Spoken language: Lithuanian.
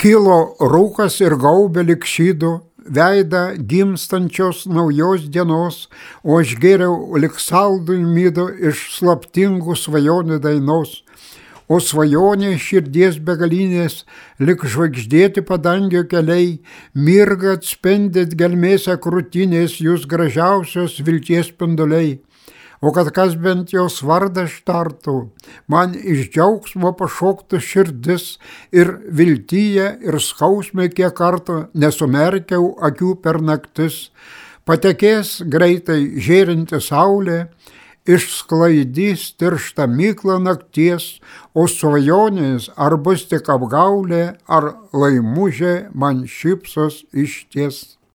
Kilo rūkas ir gaubė lyg šydu veidą gimstančios naujos dienos, o aš gėriau lyg saldų mydu iš slaptingų svajonių dainos. O svajonė širdies begalinės, lyg žvaigždėti padangio keliai, mirga atspendit gelmėse krūtinės jūs gražiausios vilties spinduliai. O kad kas bent jos vardą štartų, man iš džiaugsmo pašoktų širdis ir viltyje ir skausme kiek kartų nesumerkiau akių per naktis. Patekės greitai žėrinti saulė, išsklaidys tirštą myklą nakties, o svajonės ar bus tik apgaulė, ar laimužė man šypsos išties.